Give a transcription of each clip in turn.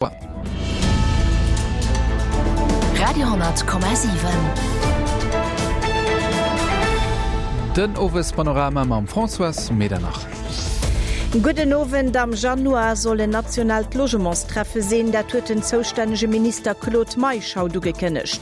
Radio,7. Den Owespanorama mam Françoise Medernach. Gudden Owend. Am Januar soll en nationaalt Logementstreffe sinn. Dat huet den zoustännege Minister Claude Meisch haut ugekënnegt.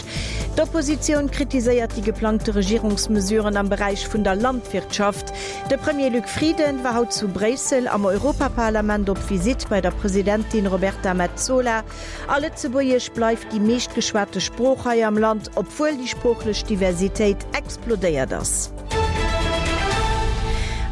D'Oppositioun kritiséiert déi geplangte Regierungsmesuren am Beräich vun der Landwirtschaft. De Premier Luc Frieden war haut zu Bréissel am Europaparlament op Visitt bei der Presidentin Roberta Metsola. A Lëtzebuergesch bleift déi meeschtgeschwate Sprooch hei am Land, obwuel déi sproochlech Diversitéit explodéiert ass.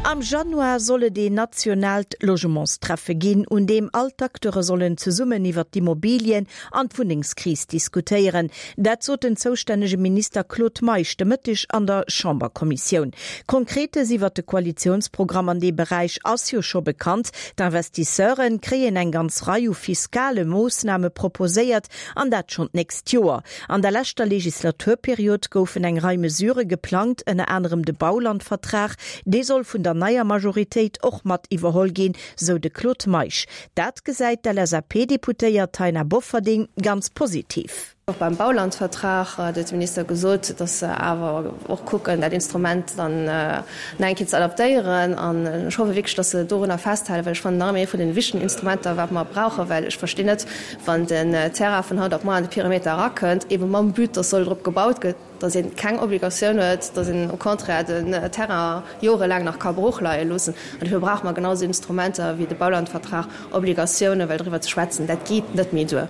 Am Januar soll et een nationaalt Logementstreffe ginn, un deem all d'Acteure sollen zesummen iwwer d'Immobilien an d'Wunnengskris diskutéieren. Dat sot den zoustännege Minister Claude Meisch de Mëtteg an der Chamberkommissioun. Konkretes iwwert de Koalitiounsprogramm an deem Beräich ass jo scho bekannt. D'Investisseure kréien eng ganz Rei u fiskale Moossname proposéiert, an dat schonn d'nächst Joer. An der leschter Legislaturperiod goufen eng Rei Mesurë geplangt, ënner anerem de Baulandvertrag. Dee soll vun der neier Majoritéit och mat iwwerholl ginn, sou de Claude Meisch. Dat gesäit d'LSAP-Deputéiert Taina Bofferding ganz positiv. Och beim Baulandvertrag huet de Minister gesot, datt se awer och kucken, dat Instrument dann nach eng Kéier ze adaptéieren. An ech hoffe wierklech, datt se dorunner festhalen, well ech fannen, nach ëmmer ee vun den wichtegen Instrumenter, wat mer brauchen, well ech verstinn net, wann den Terrain vun haut op muer an de Perimeter erakënnt, eebe mam But, datt soll drop gebaut gëtt, datt ee keng Obligatioun huet, datt een au contraire den Terrain jorelaang nach ka brooch leie loossen. An dofir brauche mer genau esou Instrumenter wéi de Baulandvertrag, Obligatiounen, well driwwer ze schwätzen, dat geet net méi duer.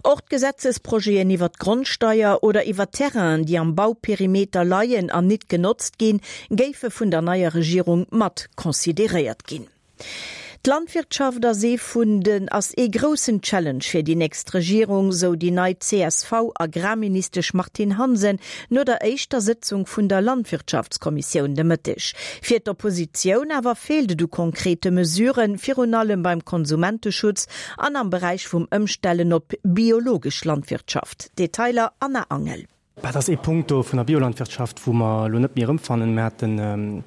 Och d'Gesetzesprojeten iwwer d'Grondsteier oder iwwer Terrainen, déi am Bauperimeter leien an nit genotzt ginn, géife vun der neier Regierung mat consideréiert ginn. D'Landwirtschaft ass ee vun den ass ee groussen Challenge fir déi nächst Regierung, sou déi nei CSV-Agrarministesch Martine Hansen no der éischter Sëtzung vun der Landwirtschaftskommissioun de Mëtteg. Fir d'Oppositioun awer feelt et u konkrete Mesuren, virun allem beim Konsumenteschutz an am Beräich vum Ëmstellen op biologesch Landwirtschaft. Detailer Anna Angel. Dat ass ee Punkt do vun der Biolandwirtschaft, wou mer elo net méi erëmfannen. Mir hate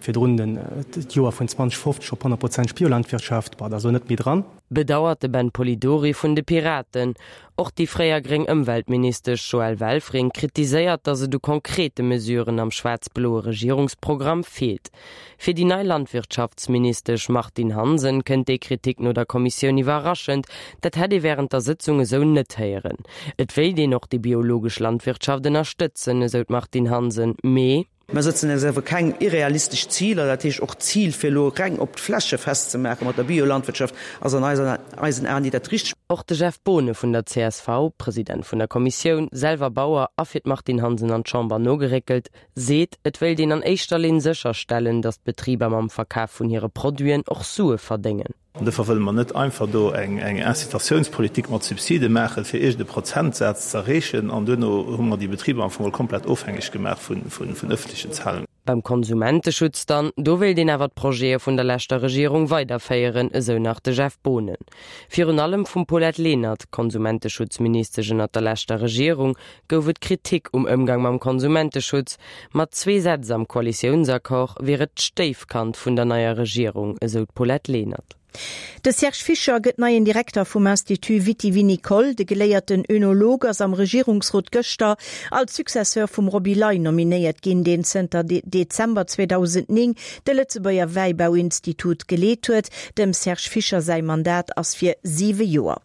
virdrun d'Joer vun 2050 op 100 Prozent Biolandwirtschaft. Bon, dat ass elo net méi dran. Bedauert de Ben Polidori vun de Piraten. Och déi fréier gréng Ëmweltministesch Joëlle Welfring kritiséiert, datt et u konkrete Mesuren am schwaarz-bloe Regierungsprogramm feelt. Fir déi nei Landwirtschaftsministesch Martine Hansen kënnt déi Kritik no der Kommissioun iwwerraschend. Dat hätt ee wärend der Sëtzung esou net héieren. Et wéilt een och déi biologesch Landwirtschaft ënnerstëtzen, esou d'Martine Hansen, mee. Mer sëtzen eis awer keng irrealistesch Ziler, dat heescht och d'Zil fir elo reng op d'Fläche festzemaache mat der Biolandwirtschaft ass an eisen Aen ni dat Richtegt. Och de Jeff Boonen vun der csv, President vun der Kommissioun, selwer Bauer a fir d'Martine Hansen an d'Chamber nogeréckelt, Seet, et wéilt een an éischter Linn sécherstellen, datt d'Betriber mam Verkaf vun hire Produiten och Sue verdéngen. An dofir wëlle mer net einfach do eng Incitatiounspolitik mat Subside maachen, fir iergend e Prozentsaz ze erreechen, an duerno hu mer déi Betriber am Fong geholl komplett ofhängeg gemaach vun ëffentlechen Zahlungen. Beim Konsumenteschutz dann, do wéilt een awer d'Projete vun der leschter Regierung weiderféieren, esou nach de Jeff Boonen. Virun allem vum Paulette Lenert, Konsumenteschutzministesch ënnert der leschter Regierung, gouf et Kritik um Ëmgang mam Konsumenteschutz. Mat zwee Sätz am Koalitiounsaccord wier et d'Stéifkand vun der neier Regierung, esou d'Paulette Lenert. De Serge Fischer gëtt neien Direkter vum Institut Viti-Vinicole. De geléierten Önolog ass am Regierungsrot gëschter als Successeur vum Roby Ley nominéiert ginn, deen zënter Dezember 2009 de Lëtzebuerger Wäibauinstitut geleet huet. Dem Serge Fischer säi Mandat ass fir siwe Joer.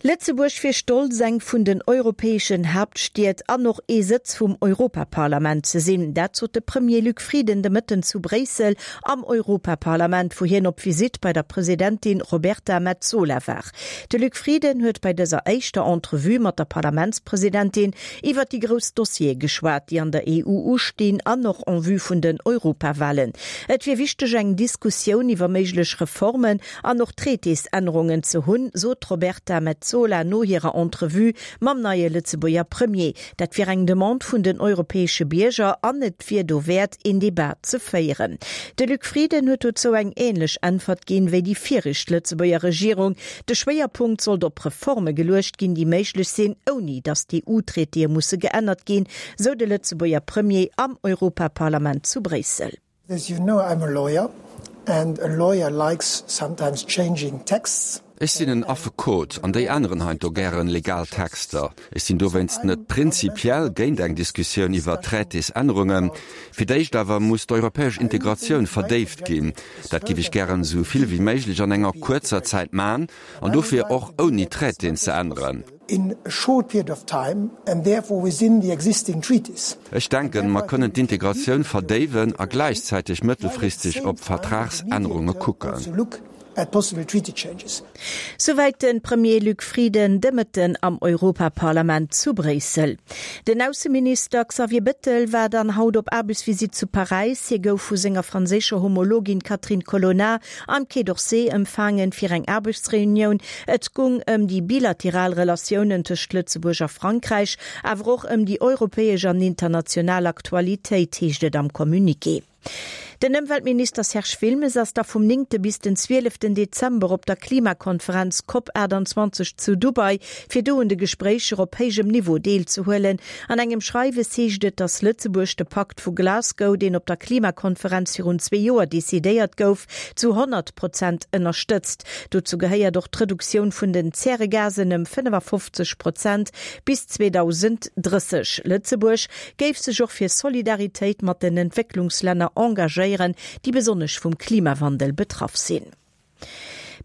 Lëtzebuerg wier stolz, eng vun den europäeschen Haaptstied an och ee Sëtz vum Europaparlament ze sinn. Dat sot de Premier Luc Frieden de Mëtten zu Bréissel am Europaparlament, wou hien op Visitt bei der Presidentin Roberta Metsola war. De Luc Frieden huet bei dëser éischter Entrevue mat der Parlamentspresidentin iwwer déi grouss Dossiere geschwat, déi an der EU ustinn an och en vue vun den Europawalen. Et wier wichteg, eng Diskussioun iwwer méiglech Reformen an och Traitésännerungen ze hunn, sot d'Roberta Metsola no hirer Entrevue mam neie Lëtzebuerger Premier. Dat wier eng Demande vun den europäesche Bierger an et wier dowäert, een Debat ze féieren. De Luc Frieden huet dozou eng änlech Äntwert ginn, wéi déi viregt Lëtzebuerger Regierung. De Schwéierpunkt sollt op Reforme geluecht ginn, déi méiglech sinn, ouni datt d'EU-Traitéë musse geännert ginn, sou de Lëtzebuerger Premier am Europaparlament zu Bréissel. As you know, I'm a lawyer. And a lawyer likes sometimes changing texts. Ech sinn en Affekot an déi änneren heiansdo gären legal Texter. Ech sinn dowéinst net prinzipiell géint eng Diskussioun iwwer Traitésännerungen. Fir d'éischt awer muss d'europäesch Integratioun verdéift ginn. Dat giff ech gären esou vill wéi méiglech an enger kuerzer Zäit man an dofir och ouni Traitéen ze änneren. in a short period of time and therefore within the existing treaties. Ech denken, mer kënnen d'Integratioun verdéiwen a gläichzäiteg mëttelfristeg op Vertragsännerunge kucken. Souwäit de Premier Luc Frieden de Mëtten am Europaparlament zu Bréissel. Den Ausseminister Xavier Bettel war dann haut op Aarbechtsvisitt zu Paräis. Hie gouf vu senger franséischer Homologin Catherine Colonna Am Quai d'Orsay empfaangen fir eng Aarbechtsreunioun. Et gung ëm déi bilateral Relatiounen tëscht Lëtzebuerg a Frankräich, awer och ëm déi europäesch an international Aktualitéit, heescht et am Communiqué. Den Ëmweltminister Serge Wilmes ass da vum néngte bis den zwieleften Dezember op der Klimakonferenz Cop 28 zu Dubai, fir do un de Gespréicher op héijem Niveau deelzehuelen. An engem Schreiwes heescht et, datt Lëtzebuerg de Pakt vu Glasgow, deen op der Klimakonferenz virun zwee Joer decidéiert gouf, zu 100 Prozent ënnerstëtzt. Dozou gehéiert och d'Reduktioun vun den Zäregasen ëm 55 Prozent bis 2030. Lëtzebuerg géif sech och fir Solidaritéit mat den Entwécklungslänner engagéieren, déi besonnesch vum Klimawandel betraff sinn.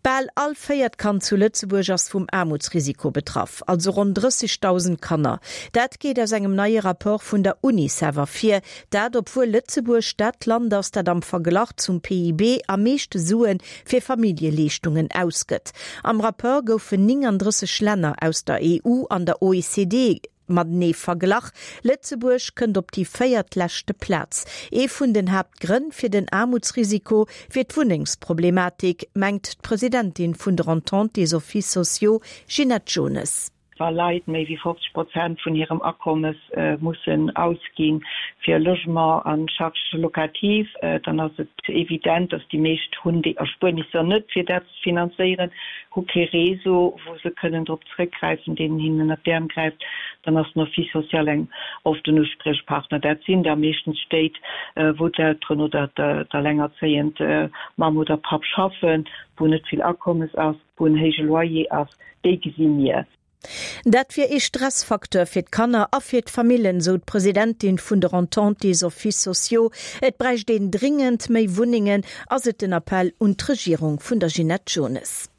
Bal all véiert Kand zu Lëtzebuerg ass vum Aarmutsrisiko betraff, also ronn 30.000 Kanner. Dat geet aus engem neie Rapport vun der Unicef ervir. Dat obwuel Lëtzebuerg dat Land ass, dat am Verglach zum PIB am meeschte Sue fir Familljeleeschtungen ausgëtt. Am Rapport goufen 39 Länner aus der EU an der OECD Matenee verglach. Lëtzebuerg kënnt op déi véiertleschte Plaz. Ee vun den Haaptgrënn fir den Aarmutsrisiko wier d'Wunnengsproblematik, mengt d'Presidentin vun der Entente des Offices sociaux, Ginette Jones. Wa Leit méi wéi 50 Prozent vun hirem Akommes mussen ausgi fir e Logement an Charges locatives, dann ass et evident, datt déi meescht hunn déi Erspuernisser net, fir dat ze finanzéieren, hu kee Réseau, wou se kënnen drop zrëckgräifen, deen hinnen ënnert d'Äerm gräift, dann ass den Office social eng oft en Uspriechpartner. Dat sinn da meeschtens Stéit, wou d'Elteren oder d'allengerzéiend Mamm oder Papp schaffen, wou net vill Akommes ass, wou en héije Loyer ass. Déi gesi mir. Dat wier ee Stressfacteur fir d'Kanner a fir d'Famillen, sou d'Presidentin vun der Entente des Offices sociaux. Et bräicht een dringend méi Wunnengen, ass et den Appell un d'Regierung vun der Ginette Jones.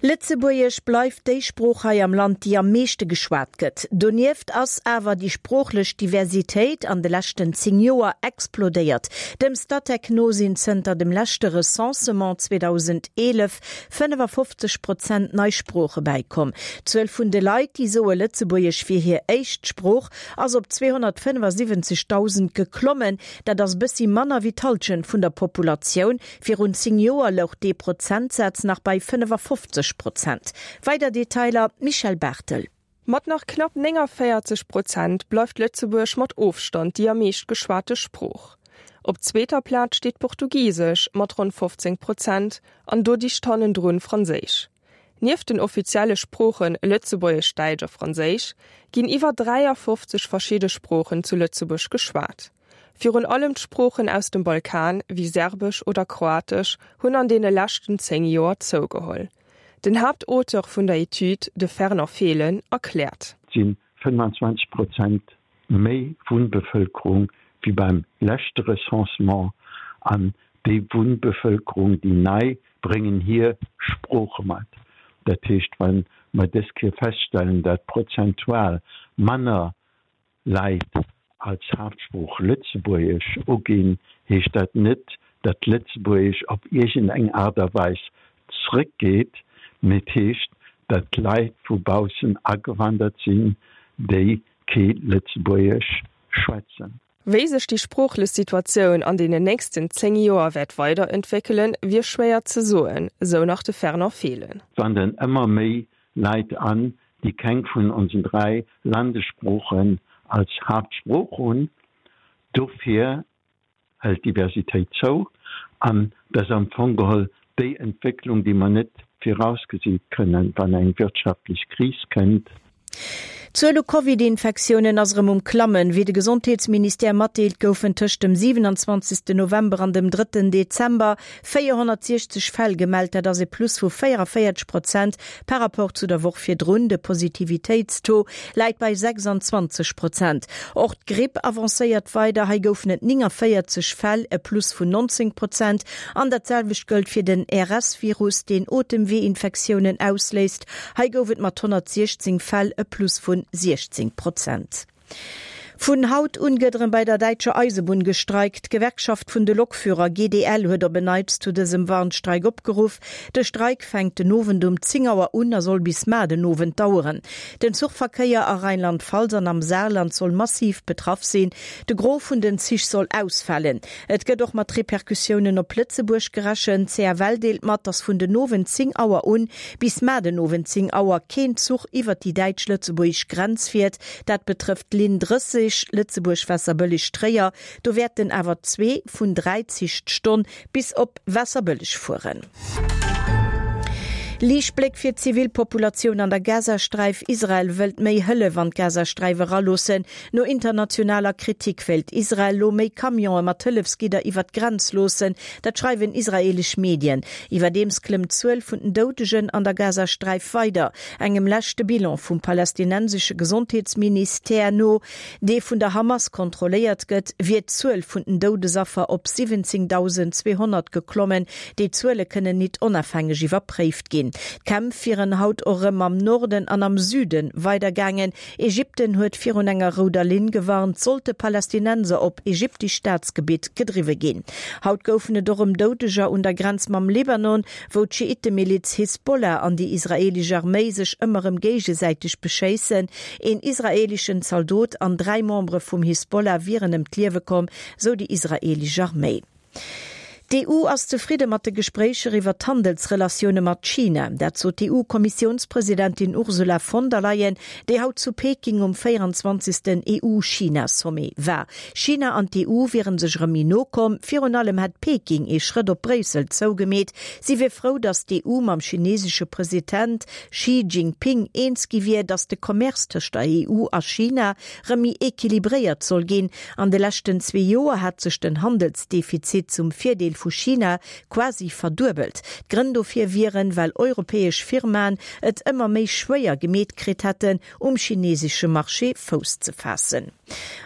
Lëtzebuergesch bleift déi Sprooch hei am Land, déi am meeschte geschwat gëtt. Donieft ass awer déi sproochlech Diversitéit an de leschten 10 Joer explodéiert. Dem Statec no sinn zënter dem leschte Recensement 2011 55 Prozent nei Sprooche bäikomm. D'Zuel vun de Leit, déi soe Lëtzebuergesch wier hir éischt Sprooch, ass op 275.000 geklommen. Dat ass bëssi manner wéi d'Hallschent vun der Populatioun. Virun 10 Joer louch dee Prozentsaz nach bei 55 Prozent. Weider Detailer, Michèle Barthel. Mat nach knapp 49 Prozent bleift Lëtzebuerg mat Ofstand déi am meescht geschwate Sprooch. Op zweeter Plaz steet Portugisesch mat ronn 15 Prozent an do dicht hannendrun Franséisch. Nieft den offizielle Sproochen Lëtzebuergesch, Däitsch a Franséisch ginn iwwer 53 verschidde Sproochen zu Lëtzebuerg geschwat. Virun allem d'Sproochen aus dem Balkan, wéi Serbesch oder Kroatesch, hunn an deene leschten 10 Joer zougeholl. Den Haaptauteur vun der Etüd, de Fernand Fehlen, erkläert. Et si 25 Prozent méi Wunnbevëlkerung wéi beim leschte Recensement an déi Wunnbevëlkerung, déi nei, bréngen hir Sprooche mat. Dat heescht, wa mer dës Kéier feststellen, dat prozentual manner Leit als Haaptsprooch Lëtzebuergesch uginn, heescht dat net, datt Lëtzebuergesch op iergend eng Aart a Weis zrëckgeet, mee et heescht, datt Leit vu baussen agewandert sinn, déi kee Lëtzebuergesch schwätzen. Wéi sech déi sproochlech Situatioun an deenen nächsten 10 Joer wäert weiderentwéckelen, wier schwéier ze soen, sou nach de Fernand Fehlen. Et wanderen ëmmer méi Leit an, déi keng vun onsen 3 Landessproochen als Haaptsprooch hunn. Dofir hëlt d'Diversitéit zou an dat ass am Fong geholl déi Entwécklung, déi mer net virausgesi kënnen, wann eng wirtschaftlech Kris kënnt. D'Zuel u Covid-Infektiounen ass erëm um Klammen. Wéi de Gesondheetsministère matdeelt, goufen tëscht dem 27. November an dem drëtten Dezember 460 Fäll gemellt. Dat ass e Plus vu 44 Prozent par Rapport zu der Woch virdrun. De Positivitéitstaux läit bei 26 Prozent. Och d'Gripp avancéiert weider. Hei goufen et 49 Fäll, e Plus vun 19 Prozent. An dat selwecht gëllt fir den RS-Virus, deen Otemweeinfektiounen ausléist. Hei gouf et mat 116 Fäll e Plus vun 16 Prozent. Vun haut un gëtt erëm bei der däitscher Eisebunn gestreikt. D'Gewerkschaft vun de Lokführer, GDL, huet op en Neits zu dësem Warnstreik opgeruff. De Streik fänkt den Owend um 10 Auer un a soll bis mar den Owend daueren. Den Zuchverkéier a Rheinland-Pfalz an am Saarland soll massiv betraff sinn. De Gros vun den Zich soll ausfalen. Et gëtt och mat Repercussiounen op Lëtzebuerg gerechent. D'CFL deelt mat, datt vun den Owend 10 Auer un bis mar den Owend 10 Auer keen Zuch iwwert déi däitsch-lëtzebuergesch Grenz fiert. Dat betrëfft d'Linn 30, Lëtzebuerg-Waasserbëlleg-Tréier. Do wäerten awer zwee vun 3 Zich d'Stonn bis op Waasserbëlleg fueren. Liichtbléck fir d'Zivilpopulatioun an der Gazasträif, Israel wëllt méi Hëllef an d'Gazasträif eraloossen. No internationaler Kritik wéilt Israel lo méi Camionë mat Hëllefsgidder iwwer d'Grenz loossen. Dat schreiwen israeelesch Medien. Iwwerdeems klëmmt d'Zuel vun den Doudegen an der Gazasträif weider. Engem leschte Bilan vum palästinensesche Gesondheetsministère no, dee vun der Hamas kontrolléiert gëtt, wier d'Zuel vun den Doudesaffer op 17.200 geklommen. Déi Zuele kënnen nit onafhängeg iwwerpréift ginn. D'Kämpf wieren haut och erëm am Norden an am Süde weidergaangen. Ägypten huet virun enger rouder Linn gewarnt, sollte Palästinenser op ägyptesch Staatsgebitt gedriwwe ginn. Haut goufen et och erëm Doudeger un der Grenz mam Libanon, wou d'Schiittemiliz Hisbollah an déi israeelesch Arméi sech ëmmer erëm géigesäiteg beschéissen. Een israeeleschen Zaldot an 3 Membere vum Hisbollah wieren ëm d'Liewe komm, sou déi israeelesch Arméi. D'EU ass zefridde mat de Gespréicher iwwer d'Handelsrelatioune mat China. Dat sot d'EU-Kommissiounspresidentin Ursula von der Leyen, déi haut zu Peking um 24. EU-China-Sommet war. China an d'EU wiere sech erëm méi no komm. Virun allem hätt Peking ee Schrëtt op Bréissel zougemeet. Si wier frou, datt d'EU mam chinesesche President Xi Jinping eens gi wier, datt de Commerce tëscht der EU a China rëm méi equilibréiert soll ginn. An de leschten zwee Joer hat sech den Handelsdefizit zum Virdeel vu China quasi verduebelt. D'Grënn dofir wieren, well europäesch Firmaen et ëmmer méi schwéier gemeet kritt hätten, um chinesesche Marché Fouss ze faassen.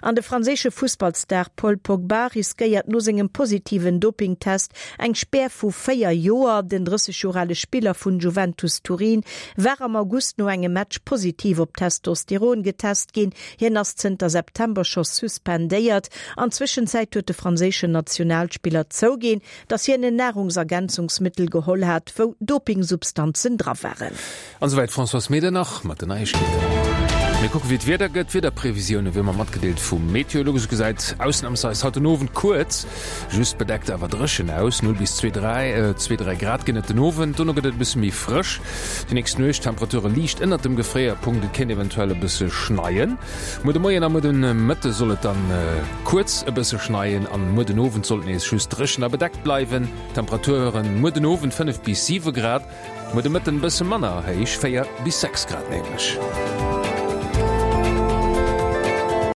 An de franséische Fussballstar Paul Pogba riskéiert no sengem positiven Dopingtest eng Spär vu 4 Joer. Den 30 Joer ale Spiller vun Juventus Turin war am August no engem Match positiv op Testosteron getest ginn. Hien ass zënter September scho suspendéiert. An Zwëschenzäit huet de franséischen Nationalspiller zouginn, datt hien en Nahrungsergänzungsmittel geholl hat, wou Dopingsubstanzen dra waren. An esouwäit d'Françoise Medernach mat den Neiegkeeten. Mir kucke wéi d'Wieder gëtt. D'Wiederprevisioune wéi ëmmer matgedeelt vum Meteolux. Et gesäit ausnamsweis haut den Owend kuerz just bedeckt awer dréchen aus. 0 bis 2, 3, 2, 3 Grad ginn et den Owend. Dono gëtt et e bësse méi frësch. Déi nächst Nuecht Temperature liicht ënnert dem Gefréierpunkt, et kéint eventuell e bësse schneien. Muer de Moien a muer de Mëtte soll et dann kuerz e bësse schneien an muer den Owend soll et nees just dréchen a bedeckt bleiwen. Temperaturen muer den Owend 5 bis 7 Grad, muer de Mëtten e bësse manner héich, 4 bis 6 Grad nämlech.